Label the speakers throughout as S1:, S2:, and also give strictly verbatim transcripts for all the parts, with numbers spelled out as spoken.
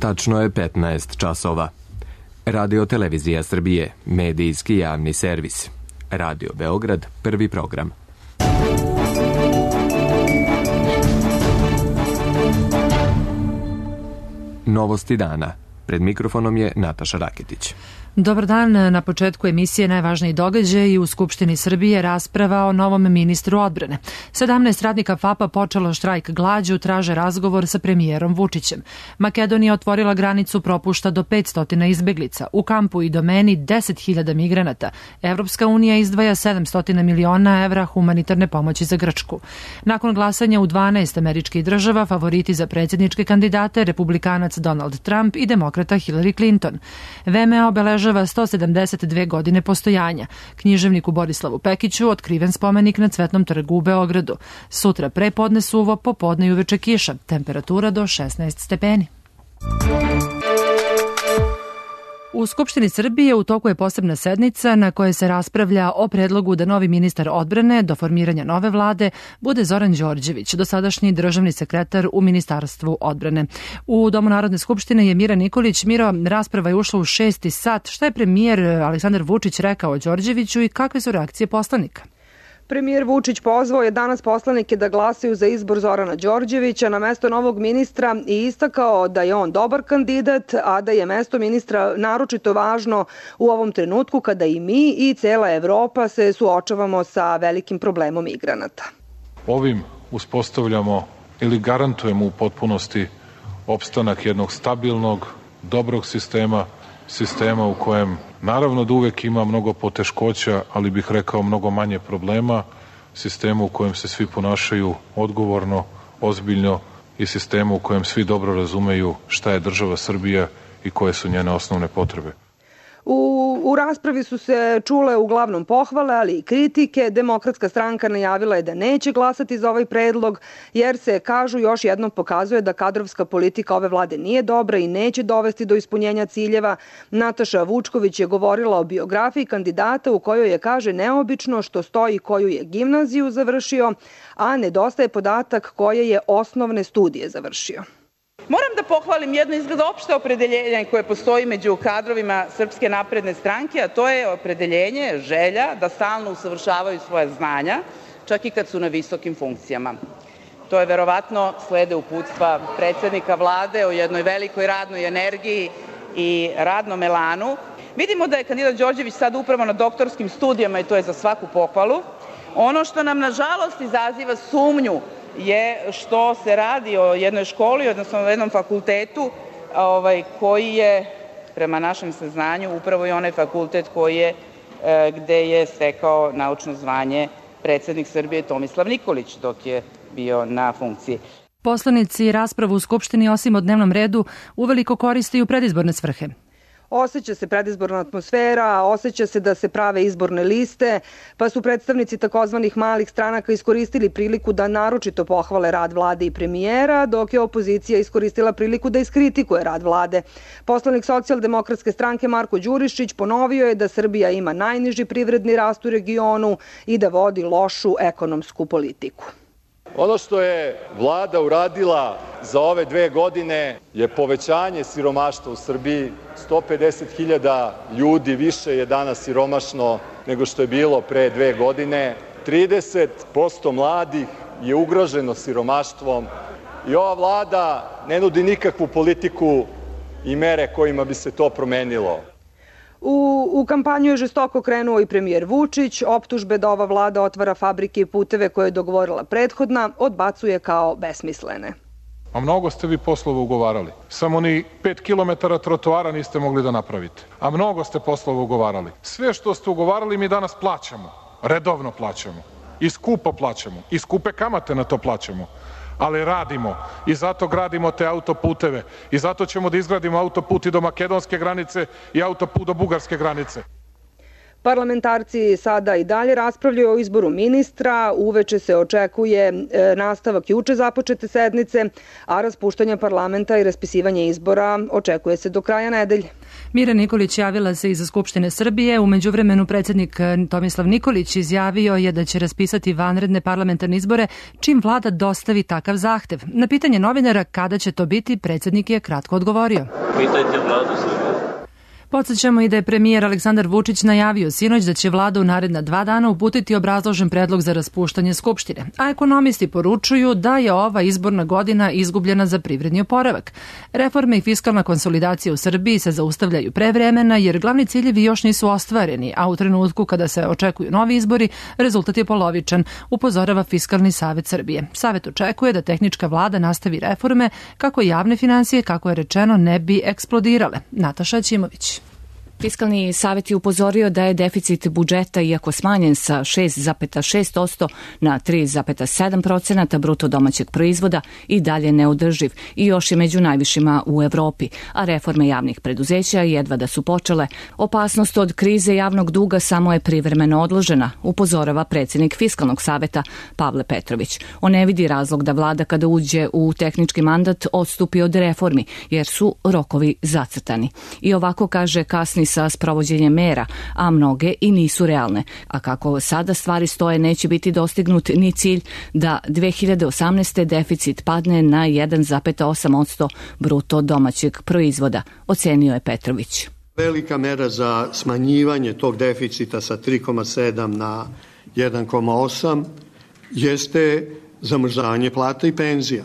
S1: Tačno je petnaest časova. Radio Televizija Srbije, medijski javni servis. Radio Beograd, prvi program. Novosti dana. Pred mikrofonom je Nataša Raketić.
S2: Dobar dan. Na početku emisije najvažniji događaj u Skupštini Srbije rasprava o novom ministru odbrane. sedamnaest radnika FAP-a počelo štrajk glađu, traže razgovor sa premijerom Vučićem. Makedonija otvorila granicu, propušta do petsto izbeglica. U kampu i domeni deset hiljada migranata. Evropska unija izdvaja sedamsto miliona evra humanitarne pomoći za Grčku. Nakon glasanja u dvanaest američkih država, favoriti za predsjedničke kandidate, republikanac Donald Trump i demokrata Hillary Clinton. V M A obeležava sto sedamdeset dve godine postojanja. Književniku Borislavu Pekiću otkriven spomenik na Cvetnom trgu u Beogradu. Sutra prepodne suvo, popodne i uveče kiša. Temperatura do šesnaest stepeni. U Skupštini Srbije u toku je posebna sednica na kojoj se raspravlja o predlogu da novi ministar odbrane do formiranja nove vlade bude Zoran Đorđević, dosadašnji državni sekretar u Ministarstvu odbrane. U Domu Narodne skupštine je Mira Nikolić. Miro, rasprava je ušla u šesti sat. Šta je premijer Aleksandar Vučić rekao o Đorđeviću i kakve su reakcije poslanika?
S3: Premijer Vučić pozvao je danas poslanike da glasaju za izbor Zorana Đorđevića na mesto novog ministra i istakao da je on dobar kandidat, a da je mesto ministra naročito važno u ovom trenutku kada i mi i cela Evropa se suočavamo sa velikim problemom migranata.
S4: Ovim uspostavljamo ili garantujemo u potpunosti opstanak jednog stabilnog, dobrog sistema, sistema u kojem naravno da uvek ima mnogo poteškoća, ali bih rekao mnogo manje problema, sistemu u kojem se svi ponašaju odgovorno, ozbiljno i sistemu u kojem svi dobro razumeju šta je država Srbija i koje su njene osnovne potrebe.
S3: U, u raspravi su se čule uglavnom pohvale, ali i kritike. Demokratska stranka najavila je da neće glasati za ovaj predlog, jer se, kažu, još jednom pokazuje da kadrovska politika ove vlade nije dobra i neće dovesti do ispunjenja ciljeva. Nataša Vučković je govorila o biografiji kandidata u kojoj je, kaže, neobično što stoji koju je gimnaziju završio, a nedostaje podatak koje je osnovne studije završio.
S5: Moram da pohvalim jedno izgleda opšte opredeljenje koje postoji među kadrovima Srpske napredne stranke, a to je opredeljenje, želja da stalno usavršavaju svoje znanja, čak i kad su na visokim funkcijama. To je verovatno slede uputstva predsednika vlade o jednoj velikoj radnoj energiji i radnom elanu. Vidimo da je kandidat Đorđević sad upravo na doktorskim studijama i to je za svaku pohvalu. Ono što nam nažalost izaziva sumnju je što se radi o jednoj školi, odnosno o jednom fakultetu ovaj, koji je, prema našem saznanju, upravo i onaj fakultet koji je, e, gde je stekao naučno zvanje predsednik Srbije Tomislav Nikolić dok je bio na funkciji.
S2: Poslanici raspravu u Skupštini osim o dnevnom redu uveliko koriste i u predizborne svrhe.
S3: Osjeća se predizborna atmosfera, osjeća se da se prave izborne liste, pa su predstavnici takozvanih malih stranaka iskoristili priliku da naročito pohvale rad vlade i premijera, dok je opozicija iskoristila priliku da iskritikuje rad vlade. Poslanik Socijaldemokratske stranke Marko Đurišić ponovio je da Srbija ima najniži privredni rast u regionu i da vodi lošu ekonomsku politiku.
S6: Ono što je vlada uradila za ove dve godine je povećanje siromaštva u Srbiji. sto pedeset hiljada ljudi više je danas siromašno nego što je bilo pre dve godine. trideset posto mladih je ugroženo siromaštvom i ova vlada ne nudi nikakvu politiku i mere kojima bi se to promenilo.
S3: U, u kampanju je žestoko krenuo i premijer Vučić. Optužbe da ova vlada otvara fabrike i puteve koje je dogovorila prethodna odbacuje kao besmislene.
S4: A mnogo ste vi poslova ugovarali. Samo ni pet kilometara trotoara niste mogli da napravite. A mnogo ste poslova ugovarali. Sve što ste ugovarali mi danas plaćamo. Redovno plaćamo. I skupo plaćamo. I skupe kamate na to plaćamo. Ali radimo i zato gradimo te autoputeve i zato ćemo da izgradimo autoput i do makedonske granice i autoput do bugarske granice.
S3: Parlamentarci sada i dalje raspravljaju o izboru ministra, uveče se očekuje nastavak juče započete sednice, a raspuštanje parlamenta i raspisivanje izbora očekuje se do kraja nedelje.
S2: Mira Nikolić javila se iz Skupštine Srbije. U međuvremenu predsjednik Tomislav Nikolić izjavio je da će raspisati vanredne parlamentarne izbore čim vlada dostavi takav zahtev. Na pitanje novinara kada će to biti, predsjednik je kratko odgovorio.
S7: Pitajte vladu Srbije.
S2: Podsjećamo i da je premijer Aleksandar Vučić najavio sinoć da će vlada u naredna dva dana uputiti obrazložen predlog za raspuštanje Skupštine, a ekonomisti poručuju da je ova izborna godina izgubljena za privredni oporavak. Reforme i fiskalna konsolidacija u Srbiji se zaustavljaju pre vremena jer glavni ciljevi još nisu ostvareni, a u trenutku kada se očekuju novi izbori, rezultat je polovičan, upozorava Fiskalni savet Srbije. Savet očekuje da tehnička vlada nastavi reforme kako javne finansije, kako je rečeno, ne bi eksplodirale. Nataša Ćimović.
S8: Fiskalni savet je upozorio da je deficit budžeta, iako smanjen sa šest zarez šest posto na tri zarez sedam posto bruto domaćeg proizvoda, i dalje neodrživ i još je među najvišima u Evropi, a reforme javnih preduzeća jedva da su počele. Opasnost od krize javnog duga samo je privremeno odložena, upozorava predsjednik Fiskalnog saveta Pavle Petrović. On ne vidi razlog da vlada kada uđe u tehnički mandat odstupi od reformi, jer su rokovi zacrtani. I ovako kaže kasni sa sprovođenjem mera, a mnoge i nisu realne. A kako sada stvari stoje, neće biti dostignut ni cilj da dve hiljade osamnaeste. deficit padne na jedan zarez osam posto bruto domaćeg proizvoda, ocenio je Petrović.
S9: Velika mera za smanjivanje tog deficita sa tri zarez sedam na jedan zarez osam jeste zamrzavanje plata i penzija.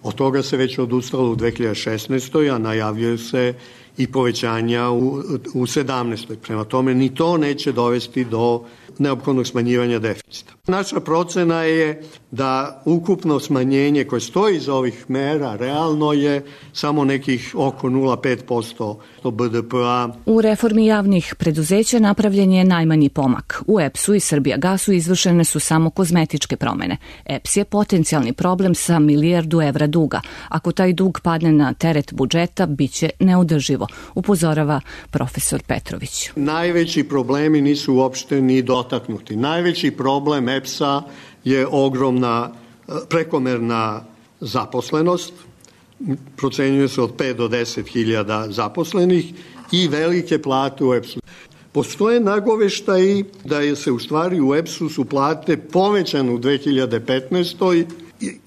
S9: Od toga se već odustalo u dve hiljade šesnaestoj. a najavljuje se i povećanja u, u sedamnaestoj. Prema tome, ni to neće dovesti do neophodnog smanjivanja deficita. Naša procena je da ukupno smanjenje koje stoji iz ovih mera realno je samo nekih oko nula zarez pet posto B D P-a.
S8: U reformi javnih preduzeća napravljen je najmanji pomak. U E P S-u i Srbijagasu izvršene su samo kozmetičke promene. E P S je potencijalni problem sa milijardu evra duga. Ako taj dug padne na teret budžeta, bit će neodrživo, upozorava profesor Petrović.
S9: Najveći problemi nisu uopšte ni dotaknuti. Najveći problem E P S-a je ogromna prekomerna zaposlenost, procenjuje se od pet do deset hiljada zaposlenih i velike plate u E P S-u. Postoje nagoveštaji da je se u stvari u E P S-u su plate povećane u dve hiljade petnaestoj.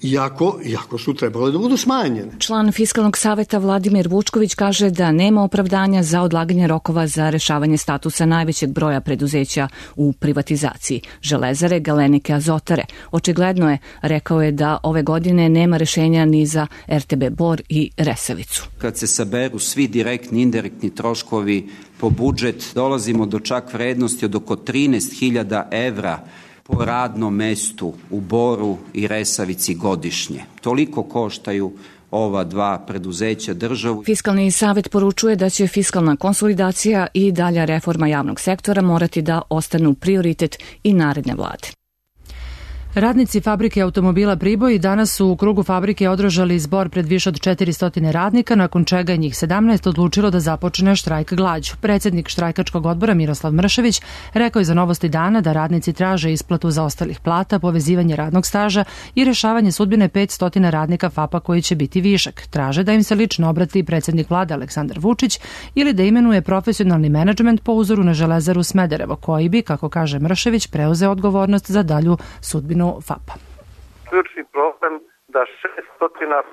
S9: Iako, iako su trebale da budu smanjene.
S8: Član Fiskalnog saveta Vladimir Vučković kaže da nema opravdanja za odlaganje rokova za rešavanje statusa najvećeg broja preduzeća u privatizaciji, Železare, Galenike, Azotare. Očigledno je, rekao je, da ove godine nema rešenja ni za R T B Bor i Resavicu.
S10: Kad se saberu svi direktni i indirektni troškovi po budžet, dolazimo do čak vrednosti od oko trinaest hiljada evra po radnom mestu u Boru i Resavici godišnje. Toliko koštaju ova dva preduzeća državu.
S8: Fiskalni savet poručuje da će fiskalna konsolidacija i dalja reforma javnog sektora morati da ostanu prioritet i naredne vlade.
S2: Radnici fabrike automobila Priboj danas su u krugu fabrike održali zbor pred više od četiristo radnika, nakon čega je njih sedamnaest odlučilo da započne štrajk glađu. Predsjednik štrajkačkog odbora Miroslav Mršević rekao je za Novosti dana da radnici traže isplatu zaostalih plata, povezivanje radnog staža i rešavanje sudbine petsto radnika F A P-a koji će biti višak. Traže da im se lično obrati predsjednik vlade Aleksandar Vučić ili da imenuje profesionalni menadžment po uzoru na Železaru Smederevo, koji bi, kako kaže Mršević, preuzeo odgovornost za dalju sudbinu F A P-a.
S11: Ključni problem da šesto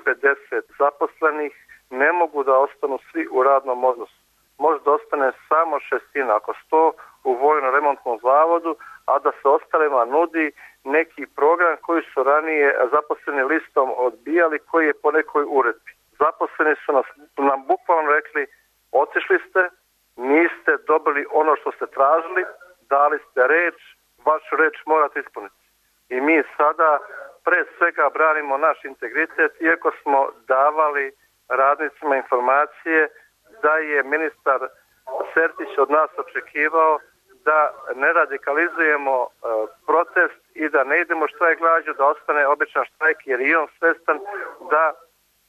S11: pedeset zaposlenih ne mogu da ostanu svi u radnom odnosu. Možda ostane samo šestina, ako sto u vojno-remontnom zavodu, a da se ostalima nudi neki program koji su ranije zaposleni listom odbijali, koji je po nekoj uredbi. Zaposleni su nas, nam bukvalno rekli, otišli ste, niste dobili ono što ste tražili, dali ste reč, vašu reč morate ispuniti. I mi sada pre svega branimo naš integritet, iako smo davali radnicima informacije da je ministar Sertić od nas očekivao da ne radikalizujemo e, protest i da ne idemo štrajk glađu, da ostane običan štrajk, jer je on svestan da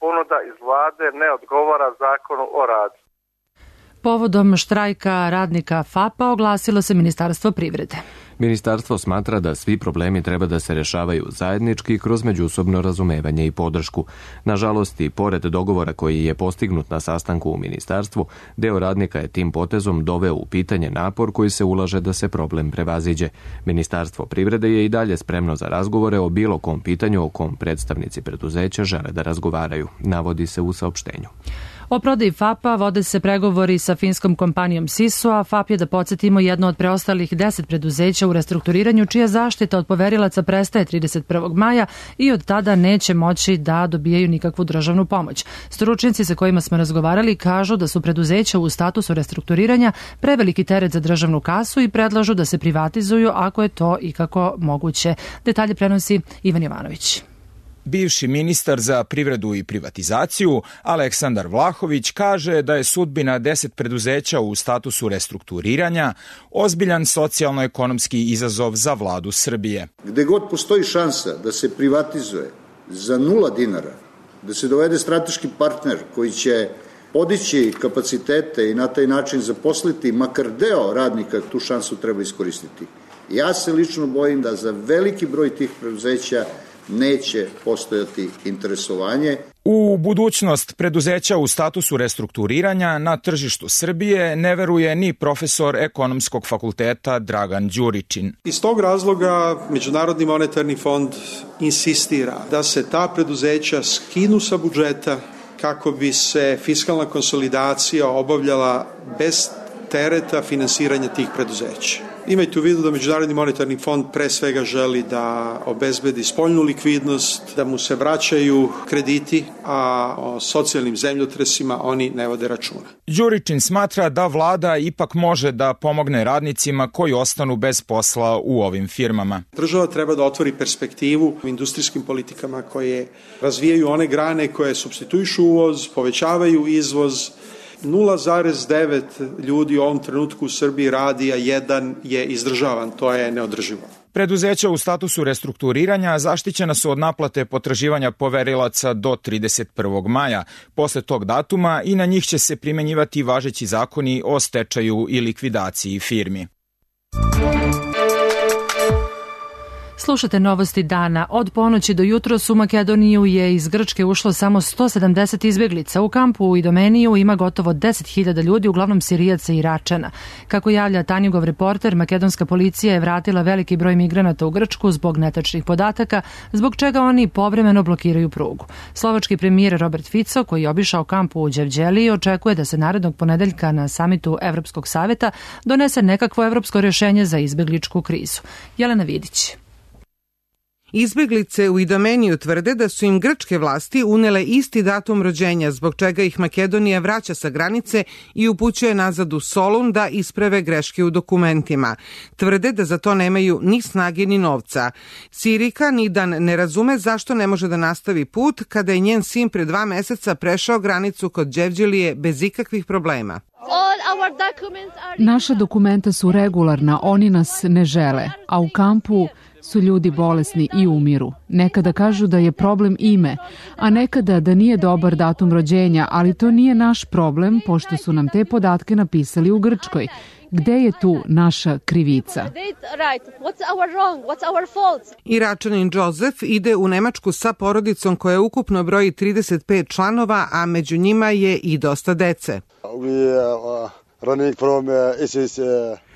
S11: ponuda iz vlade ne odgovara zakonu o radu.
S2: Povodom štrajka radnika FAP-a oglasilo se Ministarstvo privrede.
S1: Ministarstvo smatra da svi problemi treba da se rešavaju zajednički kroz međusobno razumevanje i podršku. Nažalost, i pored dogovora koji je postignut na sastanku u ministarstvu, deo radnika je tim potezom doveo u pitanje napor koji se ulaže da se problem prevaziđe. Ministarstvo privrede je i dalje spremno za razgovore o bilo kom pitanju o kom predstavnici preduzeća žele da razgovaraju, navodi se u saopštenju.
S2: O prodaji FAP-a vode se pregovori sa finskom kompanijom Sisu, a FAP je, da podsjetimo, jedno od preostalih deset preduzeća u restrukturiranju čija zaštita od poverilaca prestaje trideset prvog maja i od tada neće moći da dobijaju nikakvu državnu pomoć. Stručnjaci sa kojima smo razgovarali kažu da su preduzeća u statusu restrukturiranja preveliki teret za državnu kasu i predlažu da se privatizuju ako je to ikako moguće. Detalje prenosi Ivan Jovanović.
S7: Bivši ministar za privredu i privatizaciju Aleksandar Vlahović kaže da je sudbina deset preduzeća u statusu restrukturiranja ozbiljan socijalno-ekonomski izazov za vladu Srbije.
S12: Gde god postoji šansa da se privatizuje za nula dinara, da se dovede strateški partner koji će podići kapacitete i na taj način zaposliti makar deo radnika, tu šansu treba iskoristiti. Ja se lično bojim da za veliki broj tih preduzeća neće postojati interesovanje.
S7: U budućnost preduzeća u statusu restrukturiranja na tržištu Srbije ne veruje ni profesor Ekonomskog fakulteta Dragan Đuričin.
S13: Iz tog razloga Međunarodni monetarni fond insistira da se ta preduzeća skinu sa budžeta kako bi se fiskalna konsolidacija obavljala bez tereta finansiranja tih preduzeća. Imajte u vidu da Međunarodni monetarni fond pre svega želi da obezbedi spoljnu likvidnost, da mu se vraćaju krediti, a o socijalnim zemljotresima oni ne vode računa.
S7: Đuričin smatra da vlada ipak može da pomogne radnicima koji ostanu bez posla u ovim firmama.
S13: Država treba da otvori perspektivu u industrijskim politikama koje razvijaju one grane koje supstituišu uvoz, povećavaju izvoz. nula zarez devet ljudi u ovom trenutku u Srbiji radi, a jedan je izdržavan. To je neodrživo.
S7: Preduzeća u statusu restrukturiranja zaštićena su od naplate potraživanja poverilaca do trideset prvog maja. Posle tog datuma i na njih će se primenjivati važeći zakoni o stečaju i likvidaciji firmi.
S2: Slušate novosti dana. Od ponoći do jutros u Makedoniju je iz Grčke ušlo samo sto sedamdeset izbeglica. U kampu u Idomeniju ima gotovo deset hiljada ljudi, uglavnom Sirijaca i Iračana. Kako javlja Tanjugov reporter, makedonska policija je vratila veliki broj migranata u Grčku zbog netačnih podataka, zbog čega oni povremeno blokiraju prugu. Slovački premijer Robert Fico, koji je obišao kamp u Đevđeliji, očekuje da se narednog ponedeljka na samitu Evropskog saveta donese nekakvo evropsko rješenje za izbegličku krizu. Jelena Vidić.
S14: Izbeglice u Idomeniju tvrde da su im grčke vlasti unele isti datum rođenja, zbog čega ih Makedonija vraća sa granice i upućuje nazad u Solun da isprave greške u dokumentima. Tvrde da za to nemaju ni snage ni novca. Sirika Nidan ne razume zašto ne može da nastavi put kada je njen sin pre dva meseca prešao granicu kod Đevđelije bez ikakvih problema.
S15: Naša dokumenta su regularna, oni nas ne žele, a u kampu su ljudi bolesni i umiru. Nekada kažu da je problem ime, a nekada da nije dobar datum rođenja, ali to nije naš problem, pošto su nam te podatke napisali u Grčkoj. Gde je tu naša krivica?
S14: Iračanin Josef ide u Nemačku sa porodicom koja ukupno broji trideset pet članova, a među njima je i dosta dece.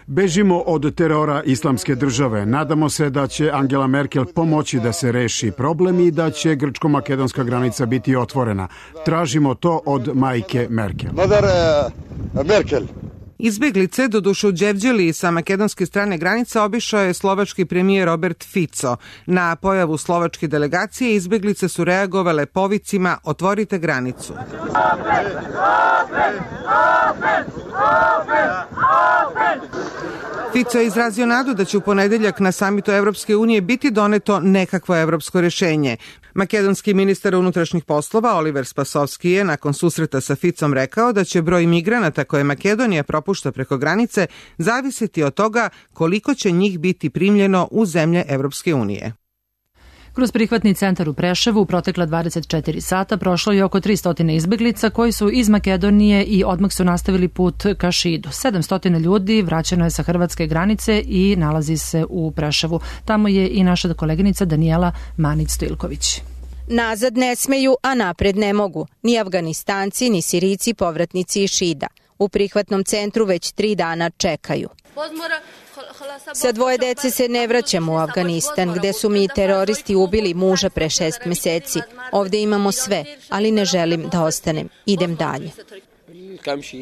S16: Bežimo od terora islamske države. Nadamo se da će Angela Merkel pomoći da se reši problem i da će grčko-makedonska granica biti otvorena. Tražimo to od majke Merkel.
S14: Merkel. Izbeglice, doduše u Đevđeliji sa makedonske strane granica, obišao je slovački premijer Robert Fico. Na pojavu slovačke delegacije izbeglice su reagovale povicima "Otvorite granicu". Open, open, open, open, open. Fico je izrazio nadu da će u ponedeljak na samitu Evropske unije biti doneto nekakvo evropsko rješenje. Makedonski ministar unutrašnjih poslova Oliver Spasovski je nakon susreta sa Ficom rekao da će broj migranata koje Makedonija propušta preko granice zavisiti od toga koliko će njih biti primljeno u zemlje Evropske unije.
S2: Kroz prihvatni centar u Preševu u protekla dvadeset četiri sata prošlo je oko tristo izbeglica koji su iz Makedonije i odmah su nastavili put ka Šidu. sedamsto ljudi vraćeno je sa hrvatske granice i nalazi se u Preševu. Tamo je i naša koleginica Danijela Manić-Stojilković.
S17: Nazad ne smeju, a napred ne mogu. Ni Afganistanci, ni Sirijci povratnici iz Šida. U prihvatnom centru već tri dana čekaju. Sa dvoje dece se ne vraćamo u Afganistan, gde su mi teroristi ubili muža pre šest meseci. Ovde imamo sve, ali ne želim da ostanem. Idem dalje.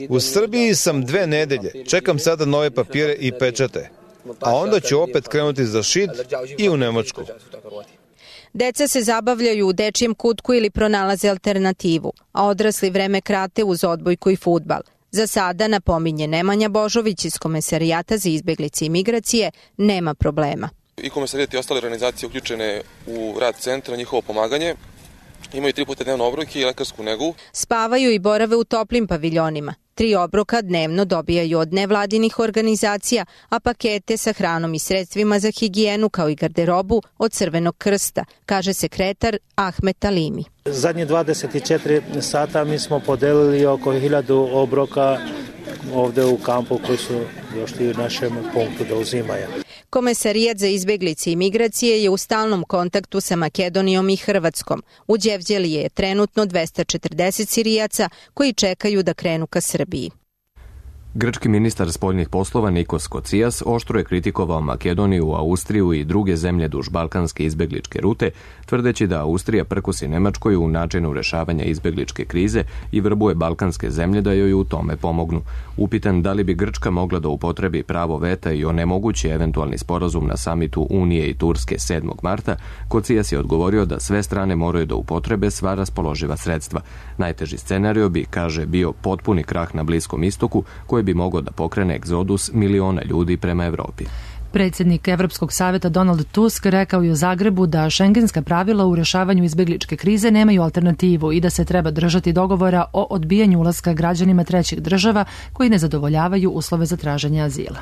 S18: U Srbiji sam dve nedelje. Čekam sada nove papire i pečate. A onda ću opet krenuti za Šid i u Nemačku.
S17: Deca se zabavljaju u dečijem kutku ili pronalaze alternativu, a odrasli vreme krate uz odbojku i fudbal. Za sada, napominje Nemanja Božović iz Komesarijata za izbeglice i migracije, nema problema.
S19: I Komesarijat i ostale organizacije uključene u rad centra, njihovo pomaganje, imaju tri puta dnevno obroke i lekarsku negu.
S17: Spavaju i borave u toplim paviljonima. Tri obroka dnevno dobijaju od nevladinih organizacija, a pakete sa hranom i sredstvima za higijenu kao i garderobu od Crvenog krsta, kaže sekretar Ahmet Alimi.
S20: Zadnje dvadeset četiri sata mi smo podelili oko hiljadu obroka ovde u kampu koji su došli u našem punktu da uzimaju.
S17: Komesarijat za izbeglice i migracije je u stalnom kontaktu sa Makedonijom i Hrvatskom. U Đevđeliji je trenutno dvesta četrdeset Sirijaca koji čekaju da krenu ka Srbiji.
S1: Grčki ministar spoljnih poslova Nikos Kocijas oštro je kritikovao Makedoniju, Austriju i druge zemlje duž balkanske izbegličke rute, tvrdeći da Austrija prkosi Nemačkoj u načinu rešavanja izbegličke krize i vrbuje balkanske zemlje da joj u tome pomognu. Upitan da li bi Grčka mogla da upotrebi pravo veta i onemogući eventualni sporazum na samitu Unije i Turske sedmog marta, Kocijas je odgovorio da sve strane moraju da upotrebe sva raspoloživa sredstva. Najteži scenario bi, kaže, bio potpuni krah na Bliskom istoku, koji bi mogao da pokrene egzodus miliona ljudi prema Evropi.
S2: Predsjednik Evropskog saveta Donald Tusk rekao je u Zagrebu da šengenska pravila u rešavanju izbegličke krize nemaju alternativu i da se treba držati dogovora o odbijanju ulaska građanima trećih država koji ne zadovoljavaju uslove za traženje azila.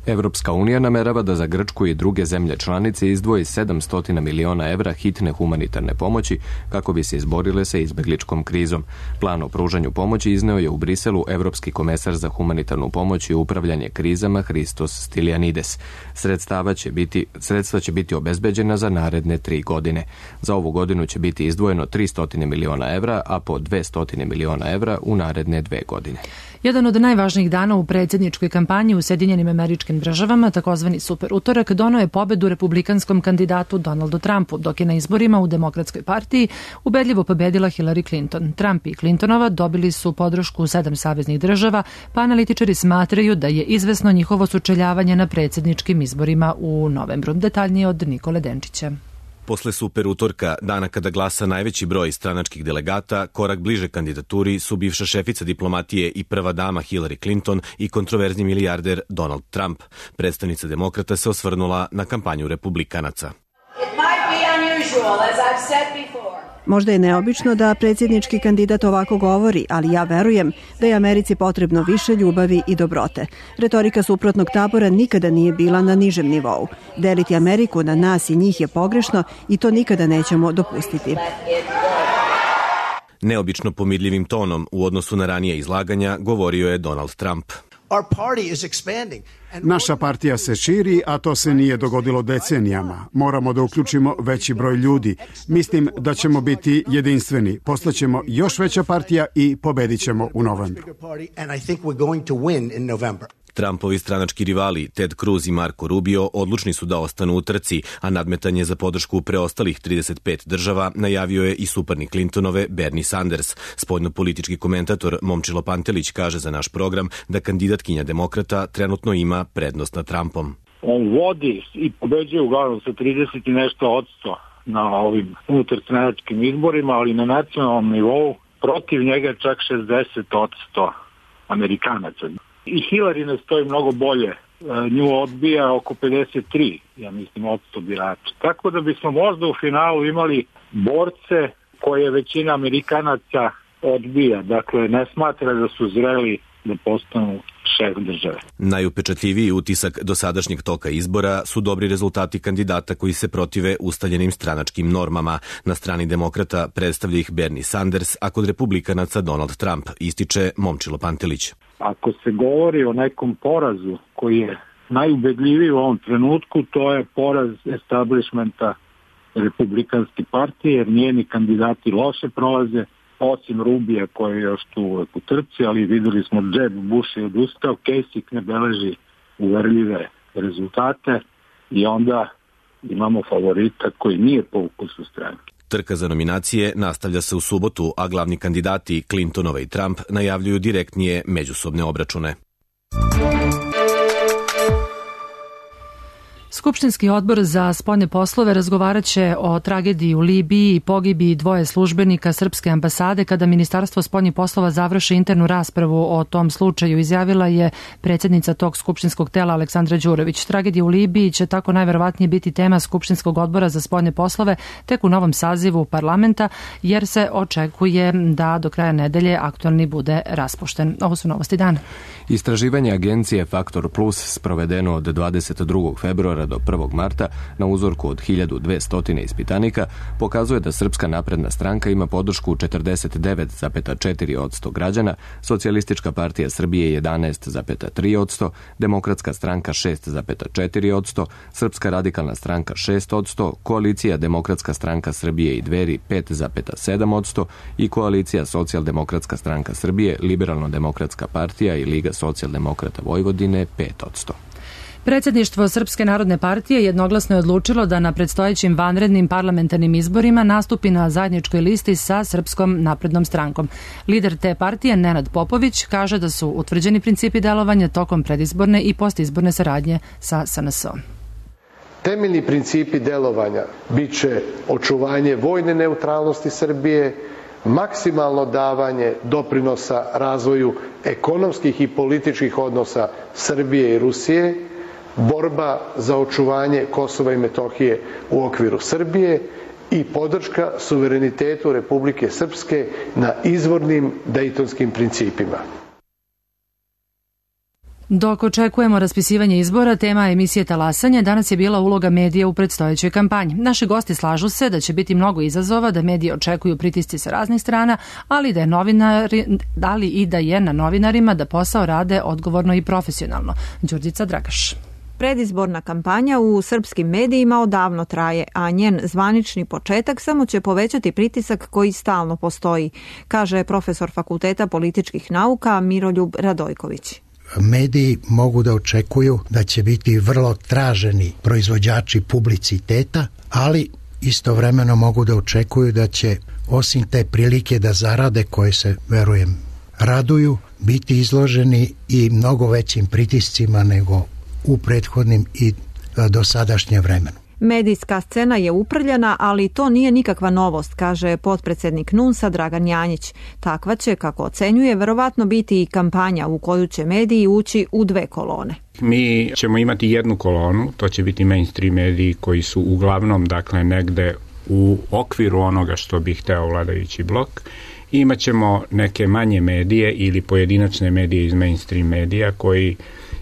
S1: Evropska unija namerava da za Grčku i druge zemlje članice izdvoji sedamsto miliona evra hitne humanitarne pomoći kako bi se izborile sa izbegličkom krizom. Plan o pružanju pomoći izneo je u Briselu Evropski komesar za humanitarnu pomoć i upravljanje krizama Hristos Stylianides. Sredstava će biti, sredstva će biti obezbeđena za naredne tri godine. Za ovu godinu će biti izdvojeno tristo miliona evra, a po dvesta miliona evra u naredne dve godine.
S2: Jedan od najvažnijih dana u predsjedničkoj kampanji u Sjedinjenim Američkim Državama, takozvani super utorak, doneo je pobedu republikanskom kandidatu Donaldu Trumpu, dok je na izborima u Demokratskoj partiji ubedljivo pobedila Hillary Clinton. Trump i Clintonova dobili su podršku sedam saveznih država, pa analitičari smatraju da je izvesno njihovo sučeljavanje na predsjedničkim izborima u novembru. Detaljnije od Nikole Denčića.
S21: Posle super utorka, dana kada glasa najveći broj stranačkih delegata, korak bliže kandidaturi su bivša šefica diplomatije i prva dama Hillary Clinton i kontroverzni milijarder Donald Trump. Predstavnica demokrata se osvrnula na kampanju republikanaca.
S22: Možda je neobično da predsjednički kandidat ovako govori, ali ja verujem da je Americi potrebno više ljubavi i dobrote. Retorika suprotnog tabora nikada nije bila na nižem nivou. Deliti Ameriku na nas i njih je pogrešno i to nikada nećemo dopustiti.
S21: Neobično pomirljivim tonom u odnosu na ranije izlaganja govorio je Donald Trump.
S16: Naša partija se širi, a to se nije dogodilo decenijama. Moramo da uključimo veći broj ljudi. Mislim da ćemo biti jedinstveni. Postaćemo još veća partija i pobedit ćemo u novembru.
S21: Trumpovi stranački rivali Ted Cruz i Marco Rubio odlučni su da ostanu u trci, a nadmetanje za podršku preostalih trideset pet država najavio je i suparnik Clintonove Bernie Sanders. Spoljnopolitički komentator Momčilo Pantelić kaže za naš program da kandidatkinja demokrata trenutno ima prednost nad Trumpom.
S23: On vodi i pobeđuje uglavnom sa trideset i nešto odsto na ovim unutarstranačkim izborima, ali na nacionalnom nivou protiv njega čak šezdeset odsto Amerikanaca. I Hillary ne stoji mnogo bolje. Nju odbija oko pedeset tri, ja mislim, odsto birača. Tako da bismo možda u finalu imali borce koje većina Amerikanaca odbija. Dakle, ne smatra da su zreli da postanu šef države.
S21: Najupečatljiviji utisak dosadašnjeg toka izbora su dobri rezultati kandidata koji se protive ustaljenim stranačkim normama. Na strani demokrata predstavlja ih Bernie Sanders, a kod republikanaca Donald Trump, ističe Momčilo Pantelić.
S23: Ako se govori o nekom porazu koji je najubedljiviji u ovom trenutku, to je poraz establishmenta Republikanske partije, jer njeni kandidati loše prolaze, osim Rubija koji je još tu uvek u trci, ali videli smo Jeb Bush je odustao, Kasich ne beleži uverljive rezultate i onda imamo favorita koji nije po ukusu stranke.
S21: Trka za nominacije nastavlja se u subotu, a glavni kandidati Clintonova i Trump najavljuju direktnije međusobne obračune.
S2: Skupštinski odbor za spoljne poslove razgovarat će o tragediji u Libiji i pogibiji dvoje službenika srpske ambasade kada Ministarstvo spoljnih poslova završi internu raspravu o tom slučaju, izjavila je predsjednica tog skupštinskog tela Aleksandra Đurović. Tragedija u Libiji će tako najverovatnije biti tema Skupštinskog odbora za spoljne poslove tek u novom sazivu parlamenta, jer se očekuje da do kraja nedelje aktualni bude raspušten. Ovo su novosti dana.
S1: Istraživanje agencije Faktor Plus sprovedeno od dvadeset drugog februara do prvog marta na uzorku od hiljadu dvesta ispitanika pokazuje da Srpska napredna stranka ima podršku četrdeset devet zarez četiri posto građana, Socijalistička partija Srbije jedanaest zarez tri posto, Demokratska stranka šest zarez četiri posto, Srpska radikalna stranka šest posto, Koalicija Demokratska stranka Srbije i Dveri pet zarez sedam posto i Koalicija Socijaldemokratska stranka Srbije, Liberalno-demokratska partija i Liga socijaldemokrata Vojvodine pet posto.
S2: Predsjedništvo Srpske narodne partije jednoglasno je odlučilo da na predstojećim vanrednim parlamentarnim izborima nastupi na zajedničkoj listi sa Srpskom naprednom strankom. Lider te partije, Nenad Popović, kaže da su utvrđeni principi delovanja tokom predizborne i postizborne saradnje sa S N S-om.
S4: Temeljni principi delovanja bit će očuvanje vojne neutralnosti Srbije, maksimalno davanje doprinosa razvoju ekonomskih i političkih odnosa Srbije i Rusije, borba za očuvanje Kosova i Metohije u okviru Srbije i podrška suverenitetu Republike Srpske na izvornim dejtonskim principima.
S2: Dok očekujemo raspisivanje izbora, tema emisije Talasanje danas je bila uloga medija u predstojećoj kampanji. Naši gosti slažu se da će biti mnogo izazova, da mediji očekuju pritisci sa raznih strana, ali da je novinari, ali i da je na novinarima da posao rade odgovorno i profesionalno. Đurđica Dragaš.
S5: Predizborna kampanja u srpskim medijima odavno traje, a njen zvanični početak samo će povećati pritisak koji stalno postoji, kaže profesor Fakulteta političkih nauka Miroljub Radojković.
S6: Mediji mogu da očekuju da će biti vrlo traženi proizvođači publiciteta, ali istovremeno mogu da očekuju da će osim te prilike da zarade, koje se, verujem, raduju, biti izloženi i mnogo većim pritiscima nego u prethodnim i dosadašnjem vremenu.
S5: Medijska scena je uprljana, ali to nije nikakva novost, kaže potpredsednik N U N S-a Dragan Janjić. Takva će, kako ocenjuje, verovatno biti i kampanja u koju će mediji ući u dve kolone.
S24: Mi ćemo imati jednu kolonu, to će biti mainstream mediji koji su uglavnom, dakle, negde u okviru onoga što bi hteo vladajući blok. Imaćemo neke manje medije ili pojedinačne medije iz mainstream medija koji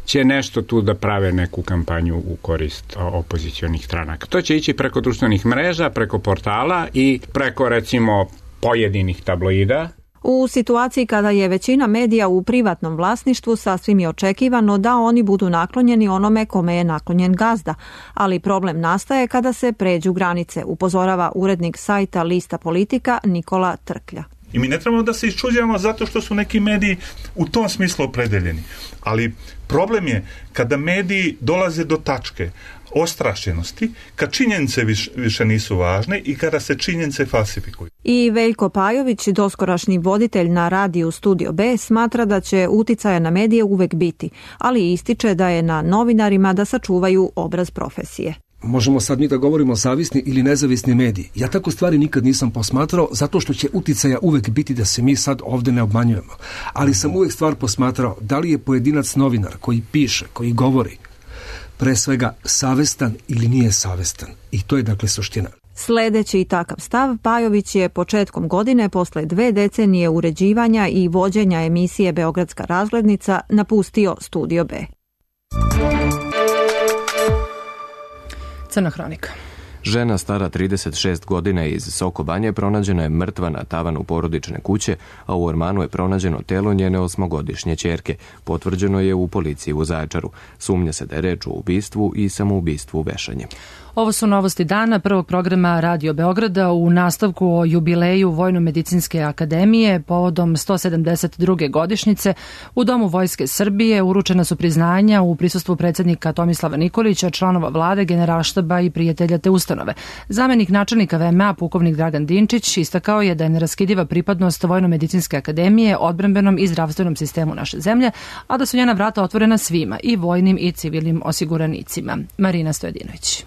S24: će nešto tu da prave neku kampanju u korist opozicionih stranaka. To će ići preko društvenih mreža, preko portala i preko, recimo, pojedinih tabloida.
S5: U situaciji kada je većina medija u privatnom vlasništvu, sasvim je očekivano da oni budu naklonjeni onome kome je naklonjen gazda, ali problem nastaje kada se pređu granice, upozorava urednik sajta Lista Politika Nikola Trklja.
S25: I mi ne trebamo da se iščuđavamo zato što su neki mediji u tom smislu opredeljeni. Ali problem je kada mediji dolaze do tačke ostrašćenosti, kad činjenice više, više nisu važne i kada se činjenice falsifikuju.
S5: I Veljko Pajović, doskorašnji voditelj na radiju Studio B, smatra da će uticaja na medije uvek biti, ali ističe da je na novinarima da sačuvaju obraz profesije.
S26: Možemo sad mi da govorimo zavisni ili nezavisni mediji. Ja tako stvari nikad nisam posmatrao, zato što će uticaja uvek biti, da se mi sad ovde ne obmanjujemo. Ali sam uvek stvar posmatrao da li je pojedinac novinar koji piše, koji govori, pre svega savestan ili nije savestan. I to je dakle suština.
S5: Sledeći takav stav, Pajović je početkom godine, posle dve decenije uređivanja i vođenja emisije Beogradska razglednica, napustio Studio B.
S2: Crna hronika.
S1: Žena stara trideset šest godina iz Sokobanje pronađena je mrtva na tavanu porodične kuće, a u ormanu je pronađeno telo njene osmogodišnje ćerke. Potvrđeno je u policiji u Zaječaru. Sumnja se da je reč o ubistvu i samoubistvu vešanjem.
S2: Ovo su novosti dana prvog programa Radio Beograda u nastavku o jubileju Vojno-medicinske akademije povodom sto sedamdeset druge godišnjice. U Domu Vojske Srbije uručena su priznanja u prisustvu predsjednika Tomislava Nikolića, članova vlade, generalštaba i prijatelja te ustanove. Zamenik načelnika V M A, pukovnik Dragan Dinčić, istakao je da je neraskidiva pripadnost Vojno-medicinske akademije odbrambenom i zdravstvenom sistemu naše zemlje, a da su njena vrata otvorena svima, i vojnim i civilnim osiguranicima. Marina Stojadinović.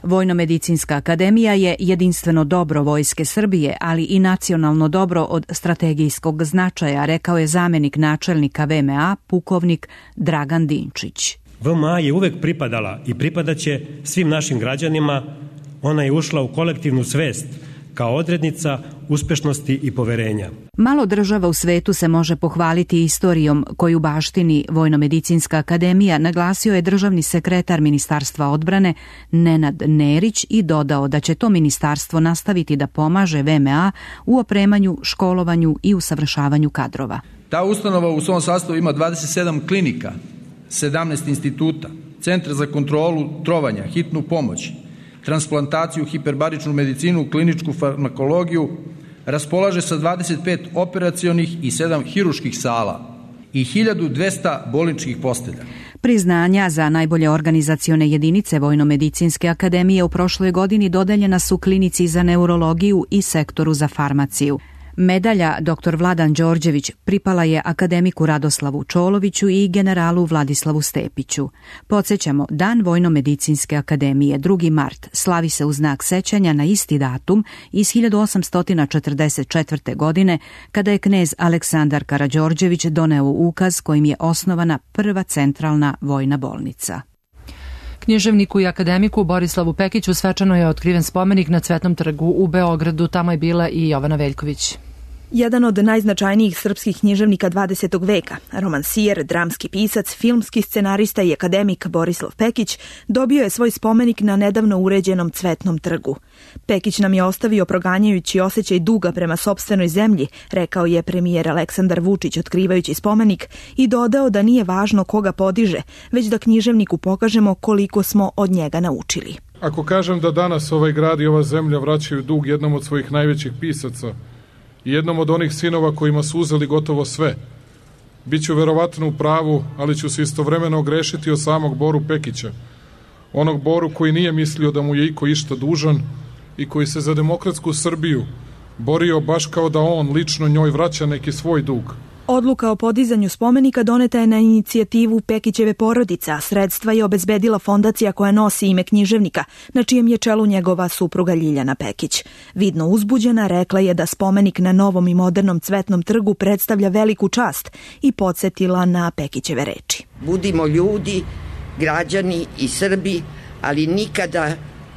S3: Vojno-medicinska akademija je jedinstveno dobro Vojske Srbije, ali i nacionalno dobro od strategijskog značaja, rekao je zamenik načelnika V M A, pukovnik Dragan Dinčić.
S8: V M A je uvek pripadala i pripadaće svim našim građanima. Ona je ušla u kolektivnu svest kao odrednica uspešnosti i poverenja.
S3: Malo država u svetu se može pohvaliti istorijom koju baštini Vojno-medicinska akademija, naglasio je državni sekretar Ministarstva odbrane Nenad Nerić i dodao da će to ministarstvo nastaviti da pomaže V M A u opremanju, školovanju i usavršavanju kadrova.
S9: Ta ustanova u svom sastavu ima dvadeset sedam klinika, sedamnaest instituta, centar za kontrolu trovanja, hitnu pomoć, transplantaciju, hiperbaričnu medicinu, kliničku farmakologiju, raspolaže sa dvadeset pet operacionih i sedam hiruških sala i hiljadu dvesta bolničkih postelja.
S3: Priznanja za najbolje organizacione jedinice Vojno-medicinske akademije u prošloj godini dodeljena su klinici za neurologiju i sektoru za farmaciju. Medalja doktor Vladan Đorđević pripala je akademiku Radoslavu Čoloviću i generalu Vladislavu Stepiću. Podsjećamo, Dan Vojno-medicinske akademije, drugi mart, slavi se u znak sećanja na isti datum iz hiljadu osamsto četrdeset četvrte. godine, kada je knez Aleksandar Karađorđević doneo ukaz kojim je osnovana prva centralna vojna bolnica.
S2: Književniku i akademiku Borislavu Pekiću svečano je otkriven spomenik na Cvetnom trgu u Beogradu. Tamo je bila i Jovana Veljković.
S10: Jedan od najznačajnijih srpskih književnika dvadesetog veka, romansijer, dramski pisac, filmski scenarista i akademik Borislav Pekić dobio je svoj spomenik na nedavno uređenom Cvetnom trgu. Pekić nam je ostavio proganjajući osjećaj duga prema sopstvenoj zemlji, rekao je premijer Aleksandar Vučić otkrivajući spomenik, i dodao da nije važno koga podiže, već da književniku pokažemo koliko smo od njega naučili.
S11: Ako kažem da danas ovaj grad i ova zemlja vraćaju dug jednom od svojih najvećih pisaca i jednom od onih sinova kojima su uzeli gotovo sve, biću verovatno u pravu, ali ću se istovremeno ogrešiti o samog Boru Pekića, onog Boru koji nije mislio da mu je iko išta dužan i koji se za demokratsku Srbiju borio baš kao da on lično njoj vraća neki svoj dug.
S10: Odluka o podizanju spomenika doneta je na inicijativu Pekićeve porodice, a sredstva je obezbedila fondacija koja nosi ime književnika, na čijem je čelu njegova supruga Ljiljana Pekić. Vidno uzbuđena, rekla je da spomenik na novom i modernom Cvetnom trgu predstavlja veliku čast i podsjetila na Pekićeve reči.
S12: Budimo ljudi, građani i Srbi, ali nikada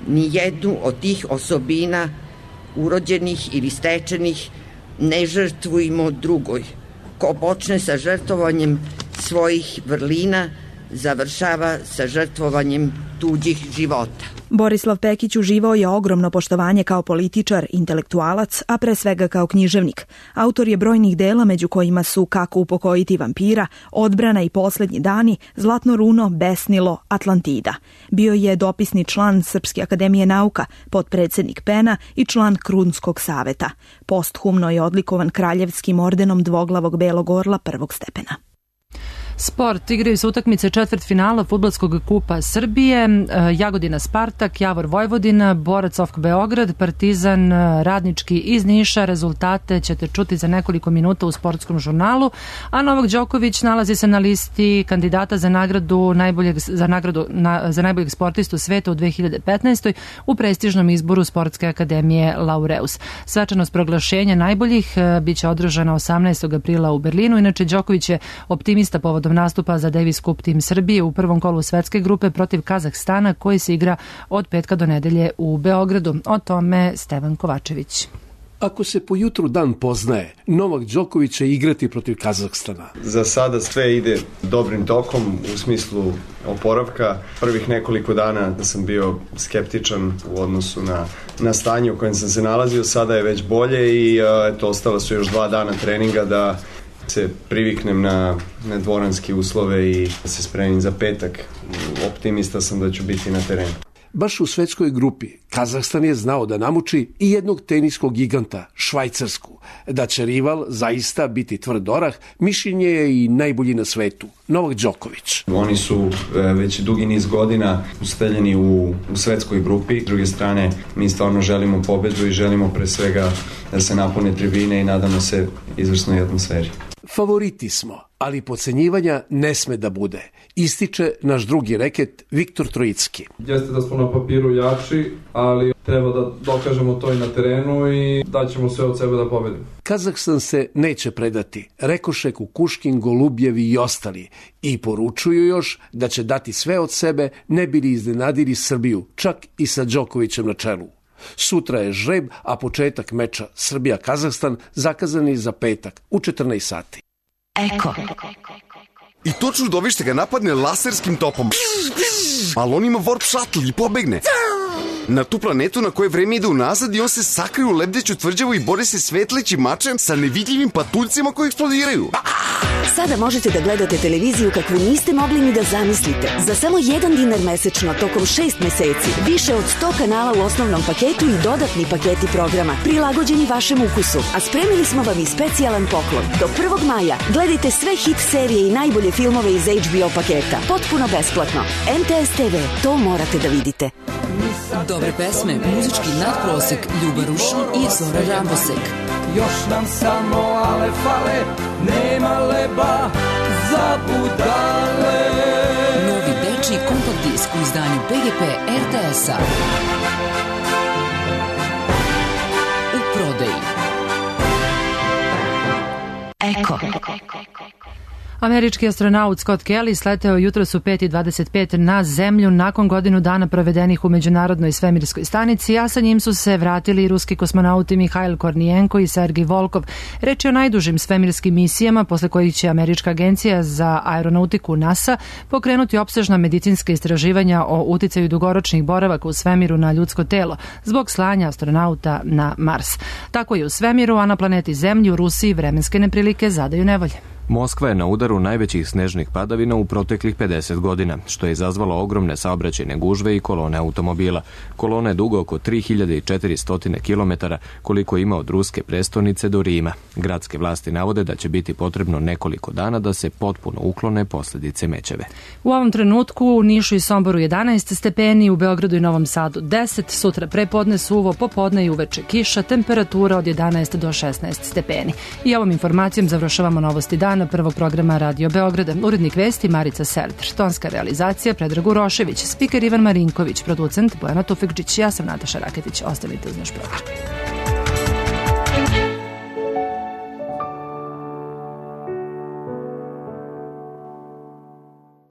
S12: ni jednu od tih osobina, urođenih ili stečenih, ne žrtvujmo drugoj. Ko počne sa žrtvovanjem svojih vrlina, završava sa žrtvovanjem tuđih života.
S10: Borislav Pekić uživao je ogromno poštovanje kao političar, intelektualac, a pre svega kao književnik. Autor je brojnih dela, među kojima su Kako upokojiti vampira, Odbrana i Poslednji dani, Zlatno runo, Besnilo, Atlantida. Bio je dopisni član Srpske akademije nauka, potpredsednik Pena i član Krunskog saveta. Posthumno je odlikovan kraljevskim ordenom dvoglavog belog orla prvog stepena.
S2: Sport. Igraju se utakmice četvrtfinala fudbalskog kupa Srbije, Jagodina Spartak, Javor Vojvodina, Borac O F K Beograd, Partizan Radnički iz Niša. Rezultate ćete čuti za nekoliko minuta u sportskom žurnalu, a Novak Đoković nalazi se na listi kandidata za nagradu najboljeg, za nagradu na, za najboljeg sportistu sveta u dve hiljade petnaestoj. u prestižnom izboru Sportske akademije Laureus. Svečanost proglašenja najboljih biće održana osamnaestog aprila u Berlinu. Inače, Đoković je optimista povodom povodom nastupa za Davis Cup tim Srbije u prvom kolu svetske grupe protiv Kazahstana koji se igra od petka do nedelje u Beogradu. O tome Stevan Kovačević.
S7: Ako se po jutru dan poznaje, Novak Đoković će igrati protiv Kazahstana.
S13: Za sada sve ide dobrim tokom u smislu oporavka. Prvih nekoliko dana da sam bio skeptičan u odnosu na, na stanje u kojem sam se nalazio, sada je već bolje i eto, ostala su još dva dana treninga da se priviknem na, na dvoranske uslove i da se spremim za petak. Optimista sam da ću biti na terenu.
S7: Baš u svetskoj grupi Kazahstan je znao da namuči i jednog teniskog giganta, Švajcarsku. Da će rival zaista biti tvrd orah, mišljenje je i najbolji na svetu, Novak Đoković.
S13: Oni su već dugi niz godina usteljeni u, u svetskoj grupi. S druge strane, mi stvarno želimo pobedu i želimo pre svega da se napune tribine i nadamo se izvrsnoj atmosferi.
S7: Favoriti smo, ali podcenjivanja ne sme da bude, ističe naš drugi reket Viktor Trojicki.
S14: Jeste da smo na papiru jači, ali treba da dokažemo to i na terenu i daćemo sve od sebe da pobedimo.
S7: Kazahstan se neće predati, rekoše Kukuškin, Golubjevi i ostali, i poručuju još da će dati sve od sebe, ne bili iznenadili Srbiju, čak i sa Đokovićem na čelu. Sutra je žreb, a početak meča Srbija-Kazahstan zakazan je za petak u četrnaest sati.
S15: Eko. I to čudovište ga napadne laserskim topom. Ali on ima warp shuttle i pobegne. Na tu planetu na koje vreme ide unazad i on se sakrije u lebdeću tvrđavu i bori se svetlećim mačem sa nevidljivim patuljcima koji eksplodiraju.
S18: Sada možete da gledate televiziju kakvu niste mogli ni da zamislite. Za samo jedan dinar mesečno tokom šest meseci. Više od sto kanala u osnovnom paketu i dodatni paketi programa prilagođeni vašem ukusu. A spremili smo vam i specijalan poklon. Do prvog maja gledajte sve hit serije i najbolje filmove iz H B O paketa. Potpuno besplatno. M T S T V. To morate da vidite.
S19: Dobre pesme, muzički nadprosek, Ljuba Rušin i Zora Rambosek.
S27: Još nam samo ale fale, nema leba za budale.
S19: Novi dečiji kompakt disk u izdanju P G P R T S-a. U prodaji.
S18: Eko.
S2: Američki astronaut Scott Kelly sleteo jutros u pet i dvadeset pet na Zemlju nakon godinu dana provedenih u Međunarodnoj svemirskoj stanici, a sa njim su se vratili i ruski kosmonauti Mihajl Kornijenko i Sergij Volkov. Reč je o najdužim svemirskim misijama, posle kojih će Američka agencija za aeronautiku NASA pokrenuti opsežna medicinska istraživanja o uticaju dugoročnih boravaka u svemiru na ljudsko telo zbog slanja astronauta na Mars. Tako je u svemiru, a na planeti Zemlji u Rusiji vremenske neprilike zadaju nevolje.
S1: Moskva je na udaru najvećih snežnih padavina u proteklih pedeset godina, što je izazvalo ogromne saobraćajne gužve i kolone automobila. Kolona je duga oko tri hiljade četiristo kilometara, koliko ima od ruske prestonice do Rima. Gradske vlasti navode da će biti potrebno nekoliko dana da se potpuno uklone posljedice mećave.
S2: U ovom trenutku u Nišu i Somboru jedanaest stepeni, u Beogradu i Novom Sadu deset, sutra prepodne suvo, popodne i uveče kiša, temperatura od jedanaest do šesnaest stepeni. I ovom informacijom završavamo novosti dana prvog programa Radio Beograda. Urednik vesti Marica Serter, tonska realizacija Predrag Urošević, spiker Ivan Marinković, producent Bojana Tufekčić, ja sam Nataša Raketić. Ostanite uz naš program.